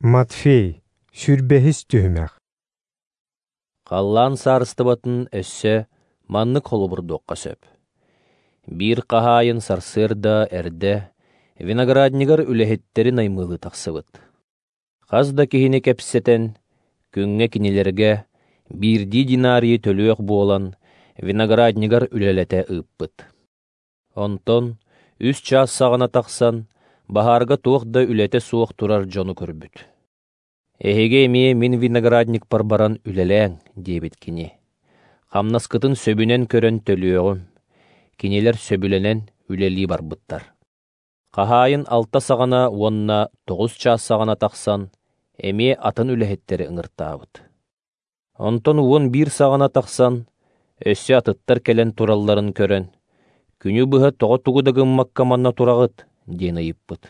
Матфей, сүүрбэһис түһүмэх. Халлаан саарыстыбатын өссө маннык холобурдуохха сөп. Биир хаһаайын сарсыарда эрдэ винограднигар үлэһиттэри наймылыы тахсыбыт. Хас да киһини кэпсэтэн, күҥҥэ кинилэргэ биирдии динарийы төлүөх буолан, винограднигар үлэлэтэ ыыппыт. Онтон 3 чаас саҕана тахсан, баһаарга туох да үлэтэ суох турар дьону көрбүт. «Эһиги эмиэ мин виноградникпар баран үлэлээҥ», диэбит кини. «Хамнаскытын сөбүнэн көрөн төлүөҕүм». Кинилэр сөбүлэнэн үлэлии барбыттар. Хаһаайын 6 саҕана уонна 9 чаас саҕана тахсан, эмиэ атын үлэһиттэри ыҥыртаабыт. Онтон 11 саҕана тахсан, өссө атыттар кэлэн туралларын көрөн, «Күнү быһа тоҕо тугу да гыммакка манна тураҕыт?» диэн ыйыппыт.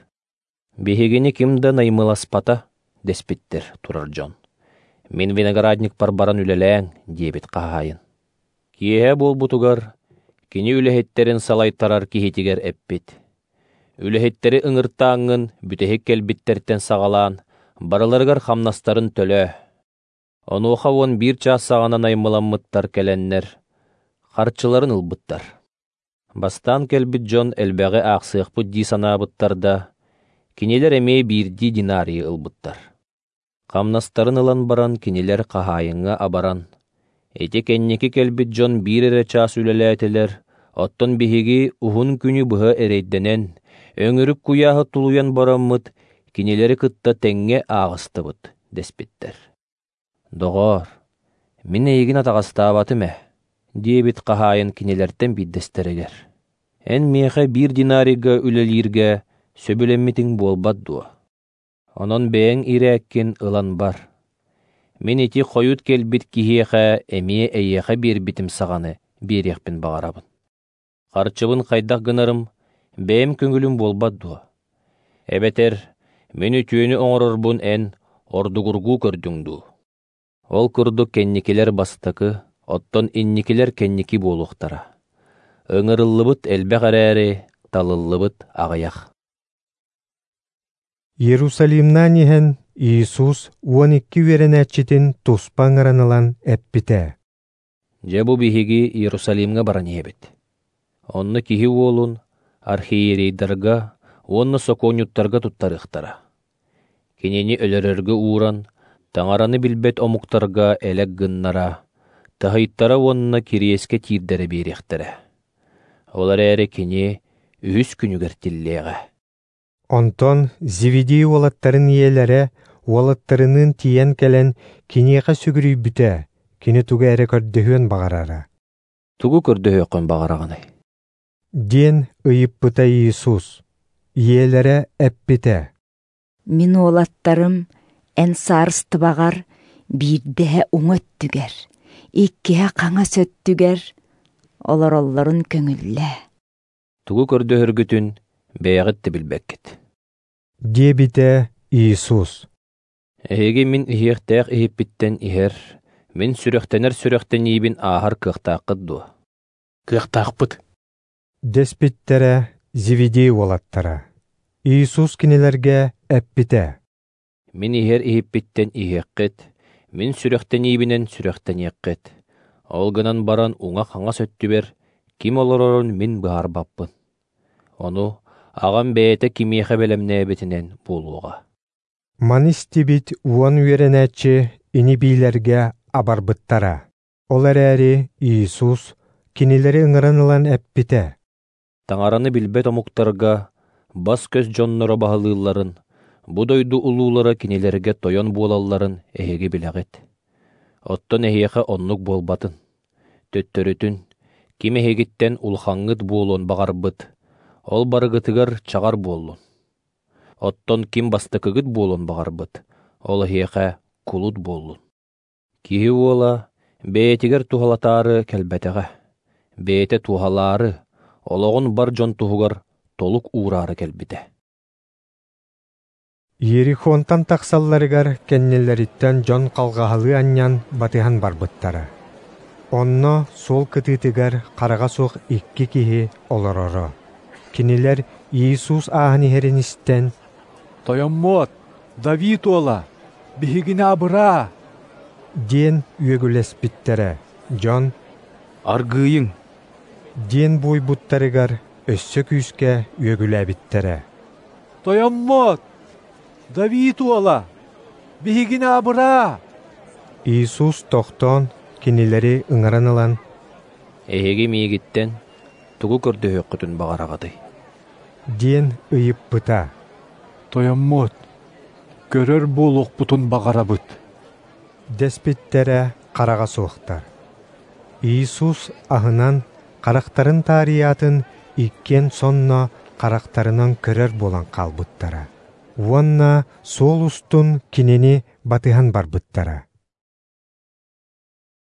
«Биһигини ким да наймыласпата», дэспиттэр турар дьон. «Мин виноградникпар баран үлэлээҥ», диэбит хаһаайын. Киэһэ буолбутугар кини үлэһиттэрин салайтарар киһитигэр эппит. Үлэһиттэри ыҥыртааҥҥын бүтэһик кэлбиттэртэн саҕалаан, барыларыгар хамнастарын төлөө. Онуоха 11 чаас саҕана наймыламмыттар кэлэннэр, харчыларын ылбыттар. Бастаан кэлбит дьон элбэҕи аахсыахпыт дии санаабыттар да, кинилэр эмиэ биирдии динарийы ылбыттар. Хамнастарын ылан баран кинилэр хаһаайыҥҥа абаран, «Ити кэнники кэлбит дьон биир эрэ чаас үлэлээтилэр, оттон биһиги уһун күнү быһа эрэйдэнэн, өҥүрүк куйааһы тулуйан бараммыт, кинилэри кытта тэҥҥэ ааҕыстыбыт», дэспиттэр. «Доҕоор, мин эйигин атаҕастаабатым ээ», диэбит хаһаайын кинилэртэн биирдэстэригэр. «Эн миэхэ биир динарийга үлэлииргэ сөбүлэммитиҥ буолбат дуо? Онон бэйэҥ ирээккин ылан бар. Мин ити хойут кэлбит киһиэхэ эмиэ эйиэхэ биэрбитим саҕаны биэриэхпин баҕарабын. Харчыбын хайдах гынарым бэйэм көҥүлүм буолбат дуо? Эбэтэр мин үтүөнү оҥорорбун эн ордугургуу көрдүҥ дуу?» Ол курдук кэнникилэр бастакы, оттон инникилэр кэнники буолуохтара. Ыҥырыллыбыт элбэх эрээри, талыллыбыт аҕыйах. Иерусалимнаан иһэн Иисус 12 үөрэнээччитин туспа ыҥыран ылан эппитэ. Дьэ бу биһиги Иерусалимҥа баран иһэбит. Онно киһи уолун архиерейдарга уонна сокуонньуттарга туттарыахтара. Кинини өлөрөргө ууран, Таҥараны билбэт омуктарга элэк гыннара, таһыйтара уонна кириэскэ тиирдэрэ биэриэхтэрэ. Ол эрээри кини үһүс күнүгэр тиллиэҕэ. Онтон Зеведей уолаттарын ийэлэрэ уолаттарыныын тиийэн кэлэн киниэхэ сүгүрүйбүтэ, кини тугу эрэ көрдөһүөн баҕарара. «Тугу көрдөһүөххүн баҕараҕыный?» диэн ыйыппыта Иисус. Ийэлэрэ эппитэ. «Мин уолаттарым эн саарыстыбаҕар биирдэһэ уҥа өттүгэр, иккиһэ хаҥас өттүгэр олороллорун көҥүллээ». «Тугу көрдөһөргүтүн бэйэҕит да билбэккит», диэбитэ Иисус. «Эһиги мин иһиэхтээх иһиппиттэн иһэр, мин сүрэхтэнэр сүрэхтэниибин ааһар кыахтааххыт дуо?» «Кыахтаахпыт», дэспиттэрэ Зеведей уолаттара. Иисус кинилэргэ эппитэ. «Мин иһэр иһиппиттэн иһиэххит, мин сүрэхтэниибинэн сүрэхтэниэххит. Ол гынан баран уҥа-хаҥас өттүбэр ким олорорун мин быһаарбаппын. Ону аҕам бэйэтэ кимиэхэ бэлэмнээбитинэн буолуоҕа». Маны истибит 10 үөрэнээччи ини-биилэргэ абарбыттара. Ол эрээри Иисус кинилэри ыҥыран ылан эппитэ. Таҥараны билбэт омуктарга бас-көс дьонноро баһылыылларын, бу дойду улуулара кинилэргэ тойон буолалларын эһиги билэҕит. Оттон эһиэхэ оннук буолбатын. Төттөрүтүн, ким эһигиттэн улахаҥҥыт буолуон баҕарбыт, ол барыгытыгар чаҕар буоллун. Оттон ким бастакыгыт буолуон баҕарбыт, ол эһиэхэ кулут буоллун. Киһи уола бэйэтигэр туһалатаары кэлбэтэҕэ, бэйэтэ туһалаары, олоҕун бар дьон туһугар толук уураары кэлбитэ. Иерихонтан тахсалларыгар кэннилэриттэн дьон халҕаһалыы анньан батыһан барбыттара. Онно суол кытыытыгар хараҕа суох 2 киһи олороро. Кинилэр Иисус ааһан иһэрин истэн, «Тойоммуот, Давид уола, биһигини абыраа! Диэн үөгүлэспиттэрэ. Дьон: «Аргыыйыҥ!» диэн буойбуттарыгар өссө күүскэ үөгүлээбиттэрэ: «Тойоммут, Давид уола, биһигини абыраа!» Иисус тохтоон кинилэри ыҥыран ылан: «Эһиги миигиттэн тугу көрдөһүөххүтүн баҕараҕытый?» диэн ыйыппыта. «Тойоммут, көрөр буолуохпутун баҕарабыт», дэспиттэрэ хараҕа суохтар. Иисус аһынан харахтарын таарыйаатын иккиэн сонно харахтарынан көрөр буолан хаалбыттара. Уонна суол устун кинини батыһан барбыттара.